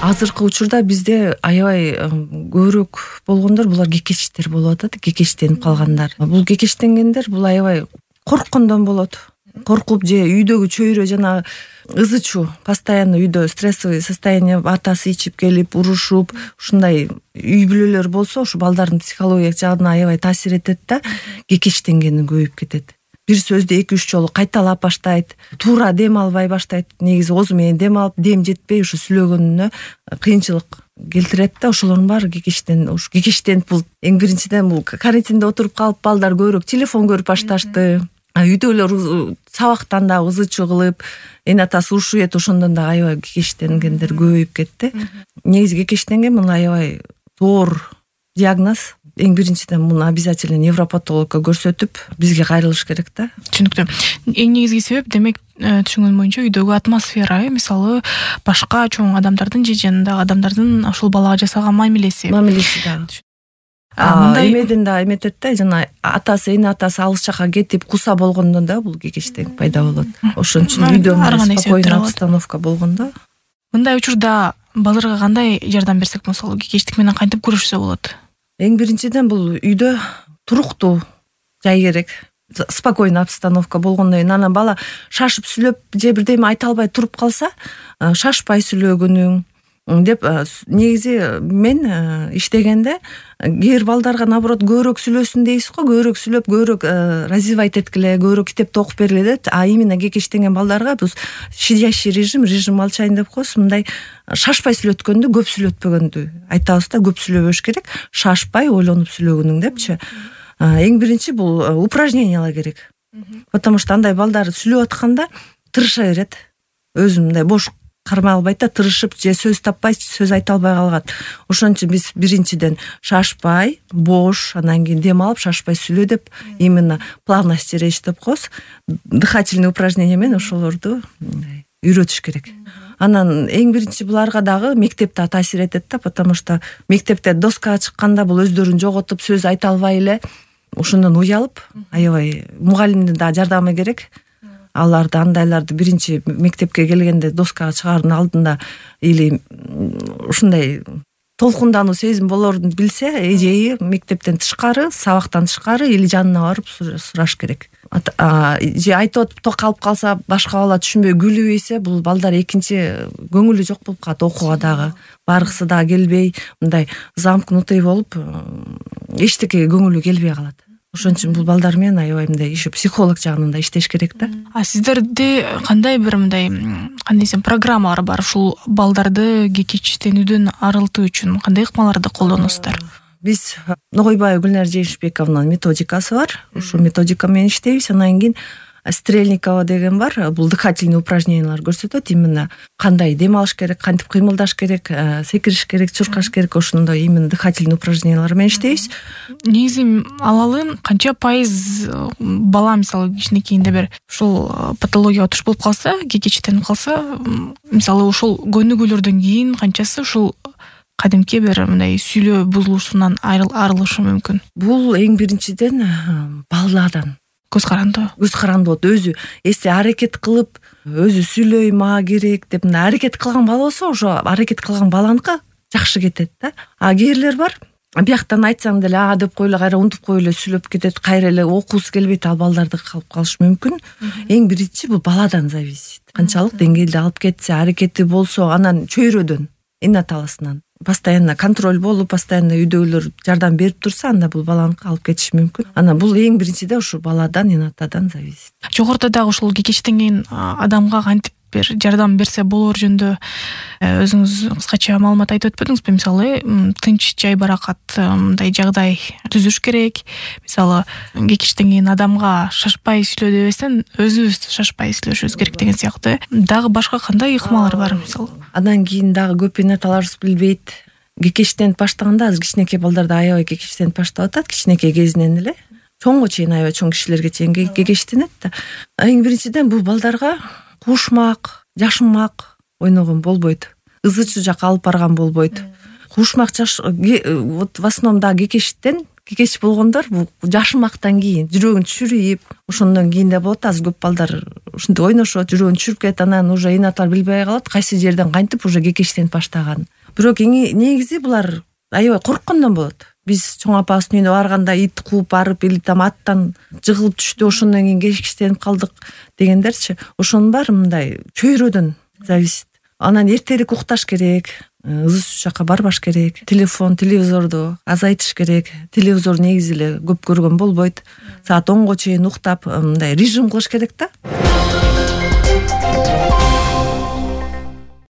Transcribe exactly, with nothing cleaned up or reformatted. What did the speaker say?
азыркы учурда бизде аябай көбүрөөк болгондор булар кекечтер болуп атат, кекечтенип калгандар. Бул кекечтенгендер бул аябай корккондон болот. Коркуп же үйдөгү чөйрө жана ызы чуу, постоянно үйдө стрессовый состояние, атасы ичип келип, урушуп, ушундай үй бүлөлөр болсо, ушу балдардын психологиялык жагына аябай таасир этет да, кекечтенгени көбөйүп кетет. Бир сөздү эки үч жолу кайталап баштайт, туура дем албай баштайт. Негизи оозу менен дем алып, дем жетпей ушу сүйлөгөнүнө кыйынчылык келтирет да, ошолордун баары кекештен, ушу кекештенип бул эң биринчиден бул карантинде отуруп калып балдар көбүрөөк телефон көрүп башташты. Үйдөлөр сабактан да ызы чуу кылып, эне атасы урушуп эт, ошондон да аябай кекештенгендер көбөйүп кетти. Негизи кекештенген бул аябай зор диагноз. Эң биринчиден муну обязательно невропатологко көрсөтүп, бизге кайрылыш керек да. Түшүнүктүү. Эң негизги себеп демек түшүнгөнүм боюнча үйдөгү атмосфера, мисалы башка чоң адамдардын же жанындагы адамдардын ошол балага жасаган мамилеси. Мамилеси да. Мындай эмеден да эметет да, жана атасы, эне атасы алыс жака кетип куса болгондо да бул кекештик пайда болот. Ошон үчүн үйдө спокойный обстановка болгондо. Мындай учурда балдарга кандай жардам берсек болсо, кекештик менен кантип күрөшсө болот? Эң биринчиден бул үйдө туруктуу жай керек. Спокойный обстановка болгондон кийин анан бала шашып сүйлөп же бирдеме айта албай туруп калса, шашпай сүйлөгөнүң деп негизи мен иштегенде кээ бир балдарга наоборот көбүрөөк сүйлөсүн дейсиз го, көбүрөөк сүйлөп, көбүрөөк развивать эткиле, көбүрөөк китепти окуп бергиле деп, а именно кекештенген балдарга биз щадящий режим, режим молчания деп коебуз. Мындай шашпай сүйлөткөндү, көп сүйлөтпөгөндү айтабыз да, көп сүйлөбөш керек, шашпай ойлонуп сүйлөгөнүң депчи. Эң биринчи бул упражнениялар керек. Потому что андай балдар сүйлөп атканда тырыша берет. Өзү мындай бош кармай албайт да, тырышып же сөз таппай, сөз айта албай калгат. Ошон үчүн биз биринчиден шашпай, бош, анан кийин дем алып, шашпай сүйлө деп, именно плавность речь деп коебуз. Дыхательный упражнение менен ошолорду үйрөтүш керек. Анан эң биринчи буларга дагы мектепте таасир этет да, потому что мектепте доскага чыкканда бул өздөрүн жоготуп, сөз айта албай эле ошондон уялып, аябай мугалимдин да жардамы керек. Аларды андайларды биринчи мектепке келгенде доскага чыгаардын алдында или ушундай толкундануу сезим болорун билсе, эжеи мектептен тышкары, сабактан тышкары или жанына барып сураш керек. Же айтып атып калып калса, башка бала түшүнбөй күлүп ийсе, бул балдар экинчи көңүлү жок болуп калат окууга дагы. Баргысы дагы келбей, мындай замкнутый болуп, эчтекеге көңүлү келбей калат. Ошон үчүн бул балдар менен аябай мындай еще психолог жагынан да иштеш керек да. А сиздерде кандай бир мындай, кандай десем, программалар бар ушул балдарды кекечтенүүдөн арылтуу үчүн кандай ыкмаларды колдоносуздар? Биз Ногойбаева Гүлнар Жейишбековнун методикасы бар. Ушул методика менен иштейбиз. Анан кийин Стрельникова деген бар. Бул дыхательный упражнениялар көрсөтөт. Именно кандай дем алыш керек, кантип кыймылдаш керек, секириш керек, чуркаш керек, ошондой именно дыхательный упражнениялар менен иштейбиз. Негизи алалы канча пайыз бала мисалы кичинекейинде бир ушул патологияга туш болуп калса, кекечтенип калса, мисалы ушул көнүгүүлөрдөн кийин канчасы ушул кадимки бир мындай сүйлөө бузулушунан арылышы мүмкүн? Бул эң биринчиден баладан көз карандуу. Көз карандуу болот. Өзү эсте аракет кылып, өзү сүйлөй мага керек деп мына аракет кылган бала болсо, ошо аракет кылган баланыкы жакшы кетет да. А кээрлер бар, бияктан айтсаң деле а деп коелу, кайра унутуп коюп эле сүйлөп кетет, кайра эле окуусу келбейт, ал балдарды калып калышы мүмкүн. Эң биринчи бул баладан зависит. Канчалык деңгээлде алып кетсе, аракети болсо, анан чөйрөдөн, эне атасынан постоянно контроль болуп, постоянно үйдөгүлөр жардам берип турса, анда бул баланыкы алып кетиши мүмкүн. Анан бул эң биринчиде ушу баладан, эне атадан зависит. Жогоруда дагы ушул кекештенген адамга кантип бир жардам берсе болор жөнүндө өзүңүз кыскача маалымат айтып өтпөдүңүзбү? Мисалы, тынч, жай баракат мындай жагдай түзүш керек. Мисалы, кекештенген адамга шашпай сүйлө дебестен, өзүбүз шашпай сүйлөшүбүз керек деген сыяктуу. Дагы башка кандай ыкмалар бар мисалы? Андан кийин дагы көп эне аталарыбыз билбейт. Кекештенип баштаганда азыр кичинекей балдарда аябай кекештенип баштап атат, кичинекей кезинен эле. Чоңго чейин аябай чоң кишилерге чейин кекештенет да. Эң биринчиден бул балдарга кушмак, жашынмак ойногон болбойт. Ызы чуу жака алып барган болбойт. Кушмак жаш вот в основном да кекештен кекеч болгондор бул жашымактан кийин жүрөгүн түшүрүп ошондон кийин да болот. Азыр көп балдар ушинтип ойношот, жүрөгүн түшүрүп кетет, анан уже инаталар билбей калат кайсы жерден кантип уже кекечтенип баштаган. Бирок негизи булар аябай корккондон болот. Биз чоң апабыздын үйүнө барганда ит кууп барып или там аттан жыгылып түштү, ошондон кийин кекечтенип калдык дегендерчи. Ошонун баары мындай чөйрөдөн зависит. Анан эртерээк укташ керек, ызы суу жакка барбаш керек, телефон, телевизорду азайтыш керек. Телевизор негизи эле көп көргөн болбойт. Саат онго чейин уктап, мындай режим кылыш керек да.